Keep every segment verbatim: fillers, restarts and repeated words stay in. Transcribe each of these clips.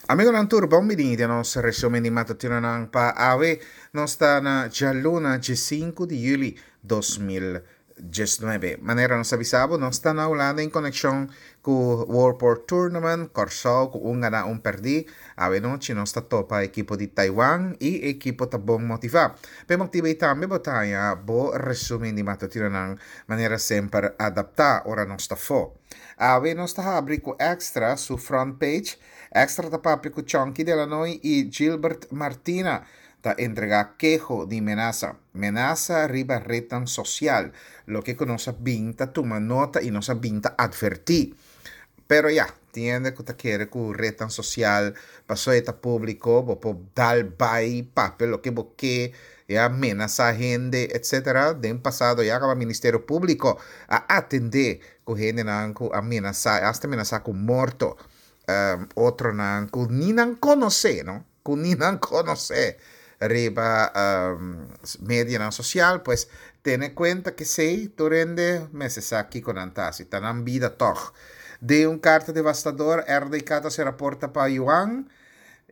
Amigonan tur, bon bini den nos resumen di matutinonan pa awe. Nos ta na djaluna diesinku di yüli dos mil diesnuebe. Manera nos a bisa bo, nos ta na Hulanda en konekshon ku World Port Tournament, Kòrsou ku un ganá un pèrdí. Awe nochi nos ta topa ekipo di Taiwan i e ekipo ta bon motivá. P'e motibu ei tambe bo ta haña bo resumen di matutinonan manera semper adaptá ora nos ta afó. Awe nos ta habri ku Extra su front page. Extra ta papia ku Chonky Delanoy i Gilbert Martina ta entregá keho di menasa. Menasa riba retnan sosial, loke ku nos a bin ta tuma nota i nos a bin ta atvertí. Pero ya, tin hende ku ta kere ku retnan sosial paso e ta públiko, bo por dal bai papia loke bo ke, ya menasá hende etcetera. Den pasado ya kaba Ministerio Públiko a atendé ku hendenan ku a menasá, asta menasá ku morto. um, otronan ku ni nan konosé, no? Ku ni nan konosé riba um, medianan sosial, pues tene kuenta ku esei tur hende mester sa kiko nan ta hasi, ta nan bida tòg. Den un karta devastador, R D K ta sera porta pa Yuan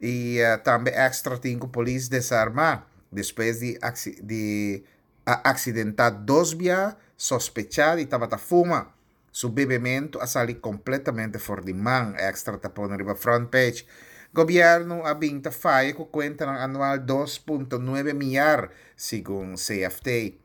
i uh, tambe Extra tin ku polis desarmá despues di, di a aksidentá dos bia sospechá di tabata fuma. Su bebementu a sali kompletamente for di man, Extra ta pone riba front page. Gobièrnu a bin ta faya ku kuentanan anual dos punto nuebe miar, segun C F T.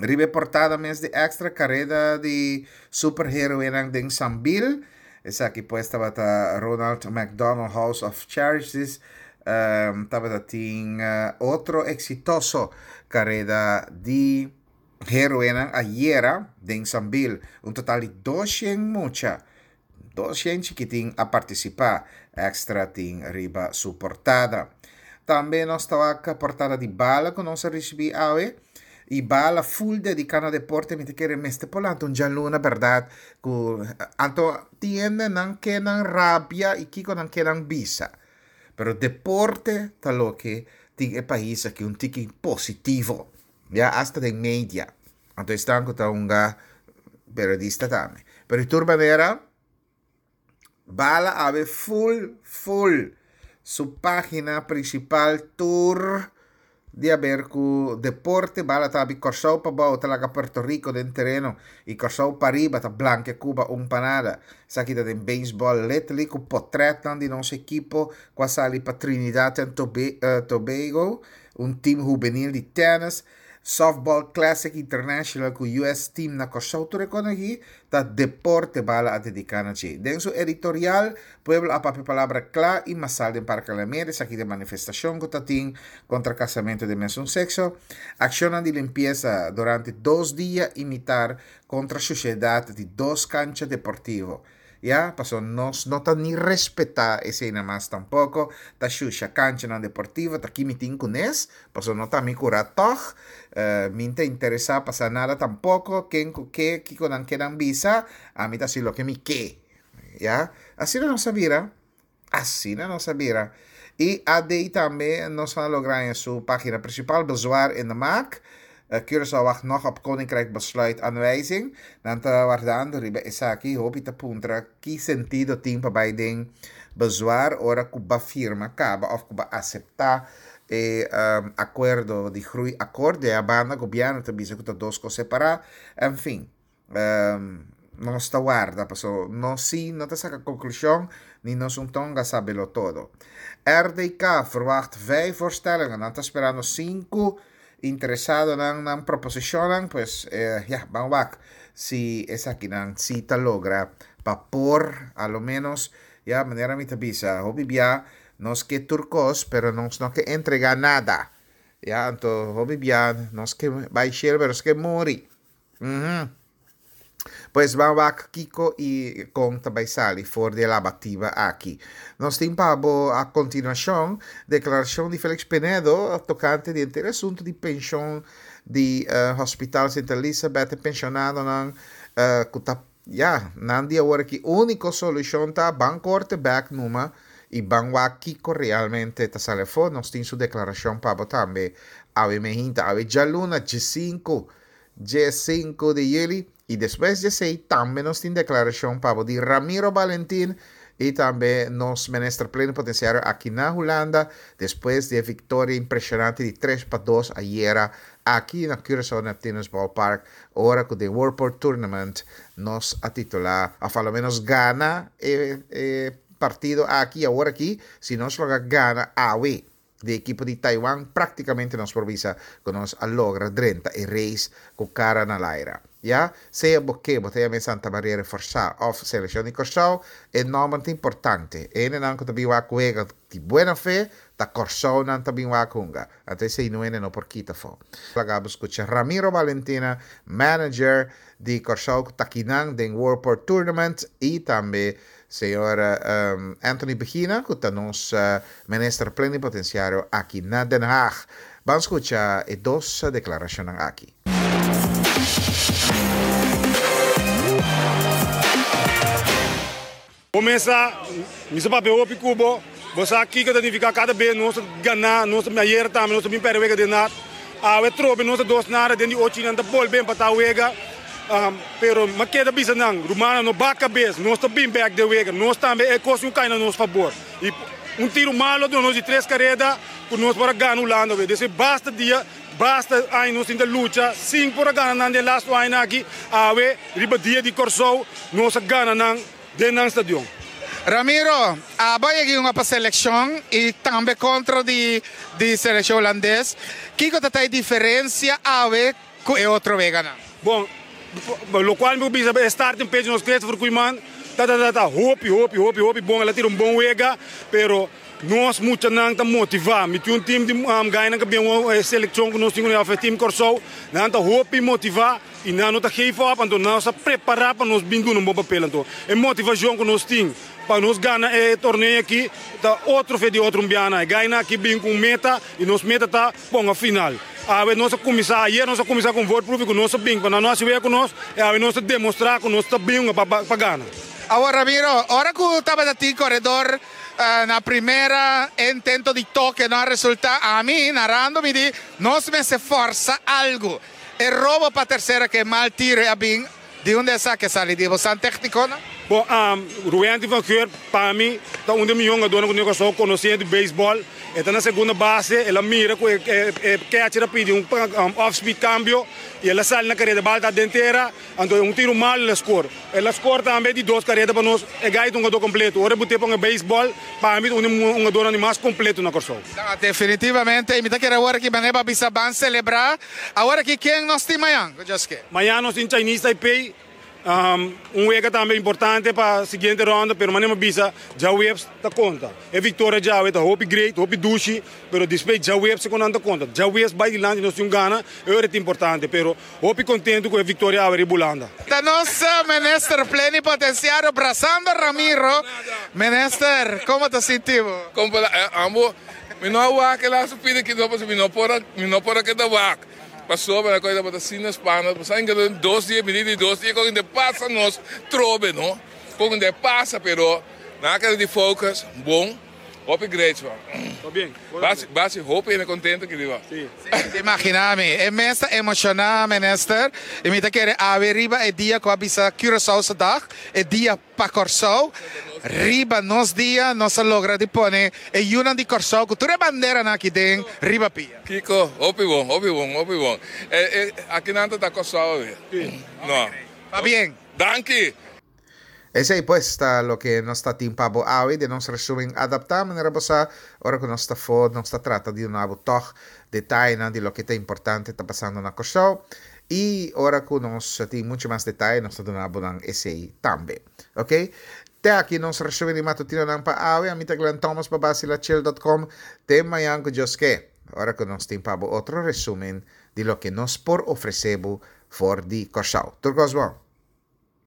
Riba e portada mes di Extra, kareda di superheroenan den Sambil. Esaki pues tabata Ronald McDonald House of Charities. Um, tabata tin uh, otro eksitoso kareda di heroenan ayera den Sambil. Un total di doshent mucha, doshent chikitin a partisipá. Extra tin riba su portada. Tambe nos ta wak portada di Bala ku nos a risibí awe. I Bala full dediká na deporte, mi ta kere mester por lanta un djaluna bèrdat ku anto tin hendenan ke nan rabia i kiko nan ke nan bisa. Pero deporte ta loke tin e pais aki un tiki positivo. Ya asta den media. Anto esnan ku ta hunga periodista tambe. Pero di tur manera Bala awe full full su página prinsipal tur di haber ku deporte. Bala ta habri Kòrsou pabou ta laga Puerto Rico den tereno i Kòrsou pariba ta blankia Cuba un pa nada. Esaki ta den beisbòl letterlijk ku potrètnan di nos ekipo ku a sali pa Trinidad and Tobago, un team hubenil di tènis, Softball Classic International ku U S Team na Kòrsou. Tur e kos aki ta deporte Bala a dediká na dje. Den su editorial, pueblo a papia palabra kla i masal den Parke Alameda, esaki den manifestashon ku ta tin kontra kasamentu di mesun sekso. Akshonnan di limpiesa durante dos dia i mitar kontra shushedat di dos kancha deportivo. Ya, paso nos no ta ni respetá eseinan mas tampoko, ta shusha kanchanan deportivo, ta ki mi tin kunes, paso no ta mi kura tòg, mi ta interesá pa sa nada tampoko, ken ku ke, kiko nan ke nan bisa, ami ta hasi loke mi ke. Ya, asina nos a bira, asina nos a bira. I A D tambe nos a logra en su página principal, bezwaar in de maak. Curaçao wacht nog op Koninkrijk besluit aanwijzing. Nan ta wardando riba esaki. Hopi ta puntra ki sentido tin pa bai den bezwaar ora ku b'a firma kaba òf ku b'a aseptá e um, akuerdo di groeiakkoord. Di banda gobièrnu ta bisa ku ta dos kos separá. En fin, um, nos ta warda, paso nos sí no ta saka konklushon ni nos un tonga sabelo todo. R D K verwacht vijf voorstellingen. Nan ta sperando sinku interesadonan nan proposishonnan, pues eh, ja, ban wak si esakinan si ta logra pa por a lo menos, ya manera mi ta bisa, hopi bia nos ke tur kos, pero nos no ke entregá nada. Ya, anto hopi bia nos ke bai shelu, pero nos ke muri. Mhm. Pues ban wak kiko i kon ta bai sali for di e labativa aki. Nos tin pa bo a kontinuashon deklarashon di Felix Pinedo tokante di henter asuntu di penshon di uh, Hospital Sint Elisabeth, e penshonadonan uh, ku ta ya nan di awor aki úniko solushon ta ban korte bèk numa i ban wak kiko realmente ta sali afó. Nos tin su deklarashon pa bo tambe awe mainta, awe djaluna diesinku diesinku di yüli. I despues di esei tambe nos tin deklarashon pa bo di Ramiro Valentin. I tambe nos minister plenipotensiario aki na Hulanda, despues di e viktoria impreshonante di tres pa dos ayera aki na Curaçao Neptunus Ballpark, ora ku den World Port Tournament nos a titulá, òf a lo ménos gana e e partido aki. Awor aki, si nos logra gana awe di ekipo di Taiwan, práktikamente nos por bisa ku nos a logra drenta e race ku kara na laira. Ya sea bo ke bo ta yama Santa Maria Reforsá òf selekshon di Kòrsou, e nòmber ta importante. E hendenan ku ta bin wak wega di buena fe, ta Kòrsou nan ta bin wak hunga. Anto esei no hende no por kita afó. Laga bo skucha Ramiro Valentina, manager di Kòrsou ku ta akinan den World Port Tournament, i tambe señor Anthony Begina ku ta nos minister plenipotensiario aki na Den Haag. Ban skucha e dos deklarashonnan aki. Bo mesa, mi sa papia hopi ku bo, bo sa kiko ta nifiká kada bes nos ta ganá, nos ta ayera tambe nos ta bin pèrdè wega den nat, awe trobe nos ta dos nada den di ochi nan ta bolbe empatá wega, pero mi a keda bisa nan, rumannan no bak kabes, nos ta bin bèk den wega, nos tambe e kos un kai na nos fabor i un tiru malo duna nos di tres kareda ku nos por a gana Hulanda awe, dese basta dia. Basta aña nos tin ta lucha sin por a gana nan den lastu añanan aki, awe riba dia di Kòrsou nos a gana nan den nan stadion. Ramiro, abo a yega yunga pa selekshon i tambe kontra di di selekshon hulandes. Kiko ta ta e diferensia awe ku e otro weganan? Bon, lokual mi por bisa e starting pitch nos Christopher Koeiman ta ta ta hopi hopi hopi hopi bon, el a tira un bon wega, pero Nos muchanan ta motivá. Mi tin un team di gainan ku bin e selekshon ku nos tin kuné òf e team Kòrsou. Nan ta hopi motivá i nan no ta geef op, anto nos a prepará pa nos bin duna un bon papel. Anto e motivashon ku nos tin pa nos gana e torneo aki ta otro fe di otro un biaha. E gainan aki bin ku un meta i nos meta ta ponga final. Awe nos a kuminsá, ayer nos a kuminsá ku un voorproefje ku nos a bin pa nan no hasi wega ku nos i awe nos ta demostrá ku nos ta bin pa gana. Awor Ramiro, ora ku tabata tin koredor na primera intento di toke no a resulta, ami narando mi di nos mester forsa algu. E robo pa tercera ke mal tiro a bin di unda esaki a sali di bosan tecniconan? Bon, Ruwenty van Geur pa mi ta un di e mihó hungadónan ku Newcastle konosé di beisbòl. E ta na segunda base, el a mira ku e catcher a pidi un off speed cambio i el a sali na kareda, bal ta den tera, anto un tiro malo el a score. El a score tambe di dos kareda pa nos. E guy ta un hungadó kompleto. Ora bo te pon e beisbòl, pa mi ta un di e hungadónan di mas kompleto na Kòrsou. Ta, definitivamente. I mi ta kere awor aki manera pa bisa ban selebrá. Awor aki ken nos tin mañan? Ku Dios ke. Mañan nos tin Chinese Taipei. Un wega tambe importante pa siguiente ronda, pero manera mi a bisa, djaweps ta konta. E viktoria djawe ta hopi great, hopi dushi, pero despues djaweps ku nan ta konta. Djaweps bai dilanti nos tin un gana, e ora ta importante, pero hopi kontentu ku e viktoria awe riba Hulanda. Ta nos Minister Plenipotenciario brasando Ramiro. Minister, como ta sinti bo? Como ambo, mi no a wak e laatste pida kido pasobra mi no por a, mi no por a keda wak. Pasobra na koe tabata asina spana, pasobra inga den dos dia, bini di dos dia kon de pasa nos trobe no, kon de pasa pero nan a keda di focus bon, hopi great man. Basi basi hopi hende contento ki riba. Si, te imagina mi, e mes ta emociona minister y mi ta kere awe riba e dia cu a bisa Curaçaose dag, e dia Pa Kòrsou, riba nos dia nos a logra di pone e yunan di Kòrsou ku tur e banderanan aki den riba pia. Kiko, hopi bon, hopi bon, hopi bon. E, e, akinan ta ta Kòrsou awe. No. Pabien. Danki! Esei pues ta loke nos ta tin pa bo awe den nos resumen adaptá. Manera bo sa, ora ku nos ta afó nos ta trata di duna bo tòg detayenan di loke ta importante ta pasando na Kòrsou. I ora ku nos tin muchu mas detaye nos ta duna bo nan esei tambe. Ok. Te aki nos resumen di matutinonan pa awe. Ami ta Glenn Thomas pa Basilachel dot com. Te mañan ku Dios ke, ora ku nos tin pa bo otro resumen di loke nos por ofresé bo for di Kòrsou. Tur kos bon.